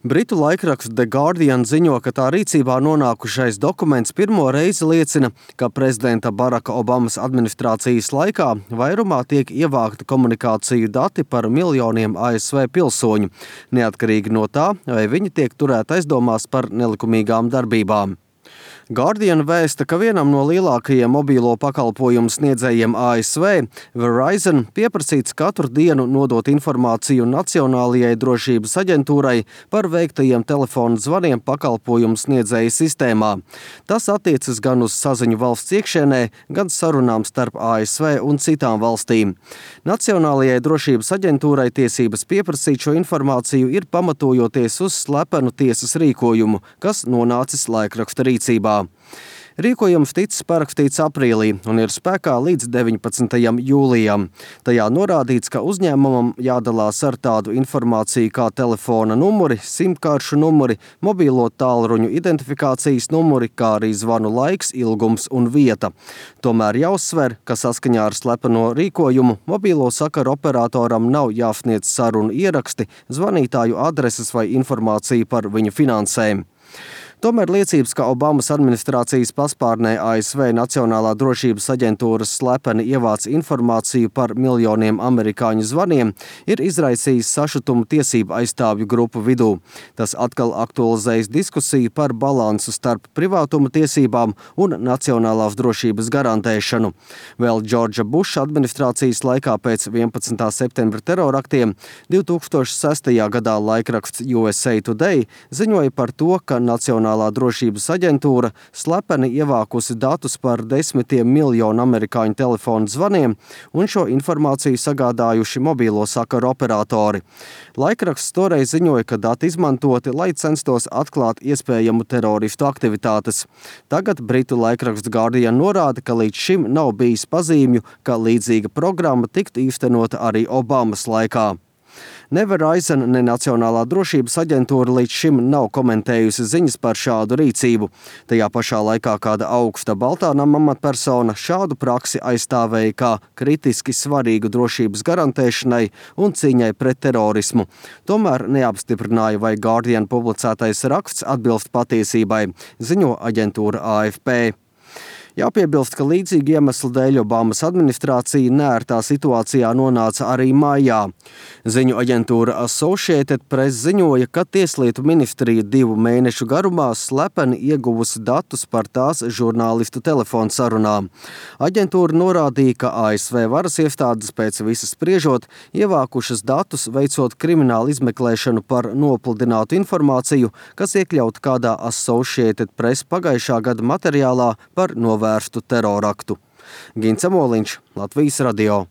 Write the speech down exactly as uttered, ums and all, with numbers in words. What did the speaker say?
Britu laikraksts The Guardian ziņo, ka tā rīcībā nonākušais dokuments pirmo reizi liecina, ka prezidenta Baraka Obamas administrācijas laikā vairumā tiek ievākta komunikāciju dati par miljoniem A S V pilsoņu, neatkarīgi no tā, vai viņi tiek turēti aizdomās par nelikumīgām darbībām. Guardian vēsta, ka vienam no lielākajiem mobīlo pakalpojumu sniedzējiem A S V, Verizon, pieprasīts katru dienu nodot informāciju Nacionālajai drošības aģentūrai par veiktajiem telefonu zvaniem pakalpojumu sniedzēju sistēmā. Tas attiecas gan uz saziņu valsts iekšienē, gan sarunām starp A S V un citām valstīm. Nacionālajai drošības aģentūrai tiesības pieprasīt šo informāciju ir pamatojoties uz slepenu tiesas rīkojumu, kas nonācis laikraksta rīcībā. Rīkojums ticis parakstīts aprīlī un ir spēkā līdz deviņpadsmitajam jūlijam. Tajā norādīts, ka uzņēmumam jādalās ar tādu informāciju kā telefona numuri, simkaršu numuri, mobīlo tālruņu identifikācijas numuri, kā arī zvanu laiks, ilgums un vieta. Tomēr jāuzsver, ka saskaņā ar slepeno rīkojumu mobīlo sakaru operatoram nav jāsniedz sarunu ieraksti, zvanītāju adreses vai informācija par viņu finansēm. Tomēr liecības, ka Obamas administrācijas paspārnē A S V Nacionālā drošības aģentūras slepeni ievāc informāciju par miljoniem amerikāņu zvaniem, ir izraisījis sašutumu tiesību aizstāvju grupu vidū. Tas atkal aktualizējas diskusiju par balansu starp privātuma tiesībām un nacionālās drošības garantēšanu. Vēl Džordža Buša administrācijas laikā pēc vienpadsmitā septembra teroraktiem divi tūkstoši sestajā gadā laikraksts U S A Today ziņoja par to, ka Nacionālā drošības aģentūra slepeni ievākusi datus par desmitiem miljonu amerikāņu telefonu zvaniem un šo informāciju sagādājuši mobīlo sakaru operatori. Laikraksts toreiz ziņoja, ka dati izmantoti, lai censtos atklāt iespējamu teroristu aktivitātes. Tagad Britu laikraksts Guardian norāda, ka līdz šim nav bijis pazīmju, ka līdzīga programma tiktu īstenota arī Obamas laikā. Ne Verizon, ne Nacionālā drošības aģentūra līdz šim nav komentējusi ziņas par šādu rīcību. Tajā pašā laikā kāda augsta Baltā nama amatpersona šādu praksi aizstāvēja kā kritiski svarīgu drošības garantēšanai un cīņai pret terorismu. Tomēr neapstiprināja, vai Guardian publicētais raksts atbilst patiesībai, ziņo aģentūra A F P. Jāpiebilst, ka līdzīgi iemeslu dēļ Obamas administrācija neērtā situācijā nonāca arī maijā. Ziņu aģentūra Associated Press ziņoja, ka Tieslietu ministrija divu mēnešu garumā slepeni ieguvusi datus par tās žurnālistu telefonu sarunām. Aģentūra norādīja, ka A S V varas iestādes pēc visas spriežot ievākušas datus, veicot kriminālu izmeklēšanu par nopludinātu informāciju, kas iekļauta kādā Associated Press pagājušā gada materiālā par novērstu teroraktu. Gins Amoliņš, Latvijas radio.